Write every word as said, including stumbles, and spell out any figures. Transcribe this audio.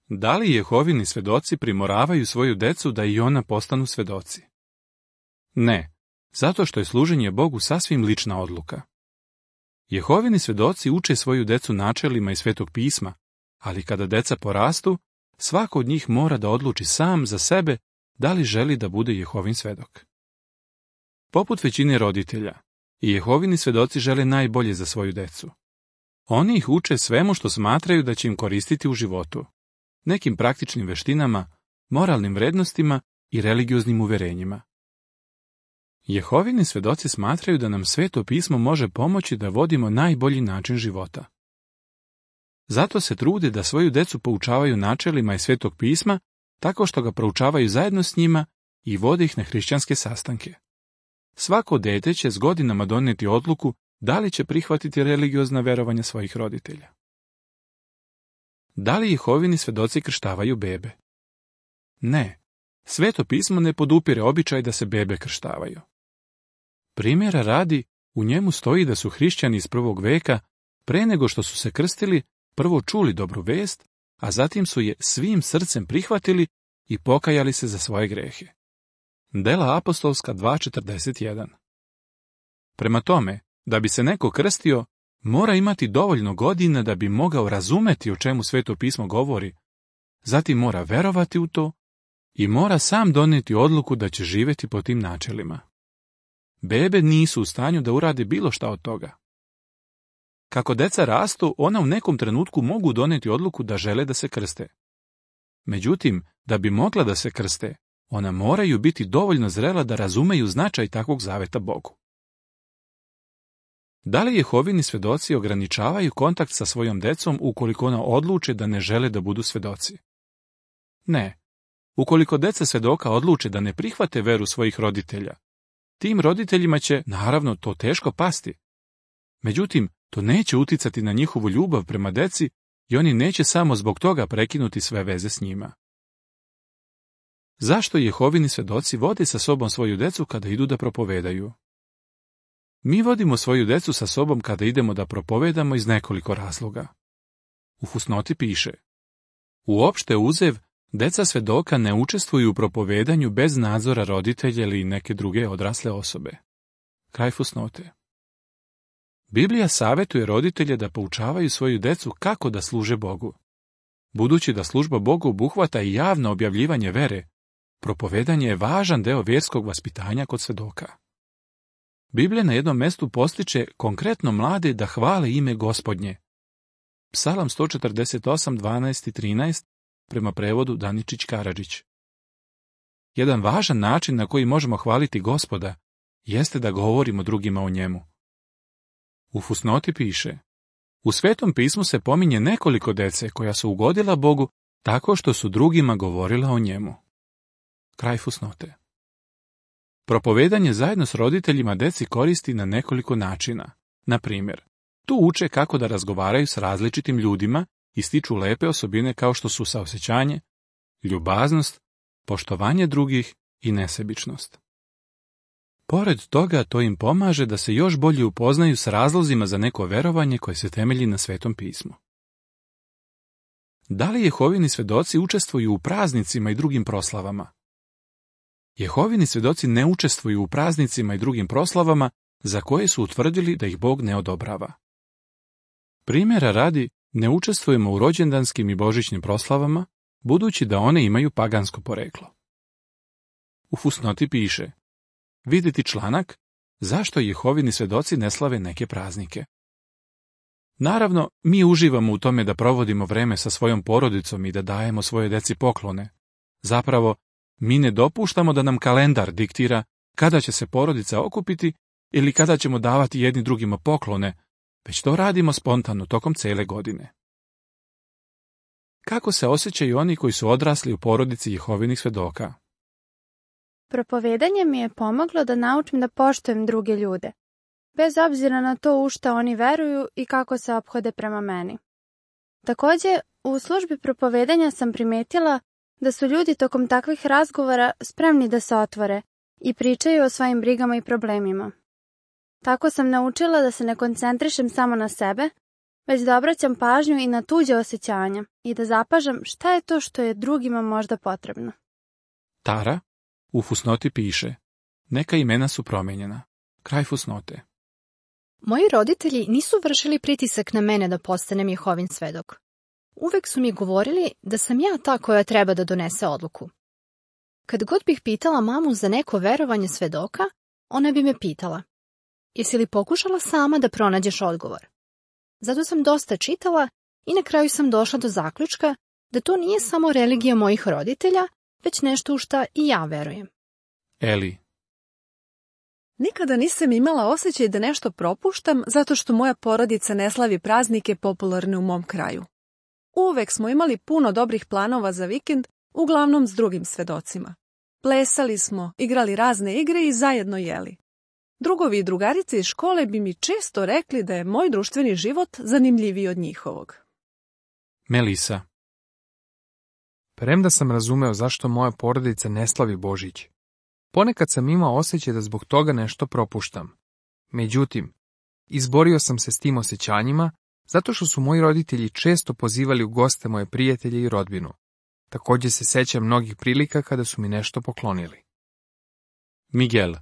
Da li Jehovini svedoci primoravaju svoju decu da i ona postanu svedoci? Ne, zato što je služenje Bogu sasvim lična odluka. Jehovini svedoci uče svoju decu načelima iz Svetog pisma, ali kada deca porastu, svako od njih mora da odluči sam za sebe da li želi da bude Jehovin svedok. Poput većine roditelja, i Jehovini svedoci žele najbolje za svoju decu. Oni ih uče svemu što smatraju da će im koristiti u životu, nekim praktičnim veštinama, moralnim vrednostima i religioznim uverenjima. Jehovini svedoci smatraju da nam Sveto pismo može pomoći da vodimo najbolji način života. Zato se trude da svoju decu poučavaju načelima iz Svetog pisma, tako što ga proučavaju zajedno s njima i vode ih na hrišćanske sastanke. Svako dete će s godinama donijeti odluku da li će prihvatiti religiozna verovanja svojih roditelja. Da li Jehovini svedoci krštavaju bebe? Ne, Sveto pismo ne podupire običaj da se bebe krštavaju. Primjera radi, u njemu stoji da su hrišćani iz prvog veka, pre nego što su se krstili, prvo čuli dobru vest, a zatim su je svim srcem prihvatili i pokajali se za svoje grehe. Dela apostolska dva četrdeset jedan. Prema tome, da bi se neko krstio, mora imati dovoljno godina da bi mogao razumeti o čemu Sveto pismo govori, zatim mora verovati u to i mora sam donijeti odluku da će živjeti po tim načelima. Bebe nisu u stanju da urade bilo šta od toga. Kako deca rastu, ona u nekom trenutku mogu donijeti odluku da žele da se krste. Međutim, da bi mogla da se krste, ona moraju biti dovoljno zrela da razumeju značaj takvog zaveta Bogu. Da li Jehovini svedoci ograničavaju kontakt sa svojom decom ukoliko ona odluče da ne žele da budu svedoci? Ne. Ukoliko deca svedoka odluče da ne prihvate veru svojih roditelja, tim roditeljima će, naravno, to teško pasti. Međutim, to neće uticati na njihovu ljubav prema deci i oni neće samo zbog toga prekinuti sve veze s njima. Zašto Jehovini svedoci vode sa sobom svoju decu kada idu da propovedaju? Mi vodimo svoju decu sa sobom kada idemo da propovedamo iz nekoliko razloga. U fusnoti piše: uopšte uzev, deca svedoka ne učestvuju u propovedanju bez nadzora roditelja ili neke druge odrasle osobe. Kraj fusnote. Biblija savjetuje roditelje da poučavaju svoju decu kako da služe Bogu. Budući da služba Bogu obuhvata i javno objavljivanje vere, propovedanje je važan deo vjerskog vaspitanja kod svedoka. Biblija na jednom mjestu postiče konkretno mlade da hvale ime Gospodnje. Psalam sto četrdeset osam, dvanaest i trinaest, prema prevodu Daničić Karadžić. Jedan važan način na koji možemo hvaliti Gospoda jeste da govorimo drugima o njemu. U fusnoti piše: u Svetom pismu se pominje nekoliko dece koja su ugodila Bogu tako što su drugima govorila o njemu. Kraj fusnote. Propovedanje zajedno s roditeljima deci koristi na nekoliko načina. Na primjer, tu uče kako da razgovaraju s različitim ljudima i stiču lepe osobine kao što su saosjećanje, ljubaznost, poštovanje drugih i nesebičnost. Pored toga, to im pomaže da se još bolje upoznaju s razlozima za neko verovanje koje se temelji na Svetom pismu. Da li Jehovini svedoci učestvuju u praznicima i drugim proslavama? Jehovini svedoci ne učestvuju u praznicima i drugim proslavama za koje su utvrdili da ih Bog ne odobrava. Primjera radi, ne učestvujemo u rođendanskim i božićnim proslavama, budući da one imaju pagansko poreklo. U fusnoti piše: vidjeti članak zašto Jehovini svedoci ne slave neke praznike. Naravno, mi uživamo u tome da provodimo vreme sa svojom porodicom i da dajemo svoje deci poklone. Zapravo, mi ne dopuštamo da nam kalendar diktira kada će se porodica okupiti ili kada ćemo davati jedni drugima poklone, već to radimo spontano tokom cele godine. Kako se osjećaju oni koji su odrasli u porodici Jehovinih svedoka? Propovedanje mi je pomoglo da naučim da poštujem druge ljude, bez obzira na to u šta oni veruju i kako se ophode prema meni. Također, u službi propovedanja sam primetila da su ljudi tokom takvih razgovora spremni da se otvore i pričaju o svojim brigama i problemima. Tako sam naučila da se ne koncentrišem samo na sebe, već da obraćam pažnju i na tuđe osjećanja i da zapažam šta je to što je drugima možda potrebno. Tara u fusnoti piše: neka imena su promijenjena. Kraj fusnote. Moji roditelji nisu vršili pritisak na mene da postanem Jehovin svedok. Uvek su mi govorili da sam ja ta koja treba da donese odluku. Kad god bih pitala mamu za neko verovanje svedoka, ona bi me pitala: jesi li pokušala sama da pronađeš odgovor? Zato sam dosta čitala i na kraju sam došla do zaključka da to nije samo religija mojih roditelja, već nešto u šta i ja verujem. Eli. Nikada nisam imala osjećaj da nešto propuštam zato što moja porodica ne slavi praznike popularne u mom kraju. Uvek smo imali puno dobrih planova za vikend, uglavnom s drugim svedocima. Plesali smo, igrali razne igre i zajedno jeli. Drugovi i drugarice iz škole bi mi često rekli da je moj društveni život zanimljiviji od njihovog. Melisa. Premda sam razumeo zašto moja porodica ne slavi Božić, ponekad sam imao osjećaj da zbog toga nešto propuštam. Međutim, izborio sam se s tim osjećanjima zato što su moji roditelji često pozivali u goste moje prijatelje i rodbinu. Također se sećam mnogih prilika kada su mi nešto poklonili. Miguel.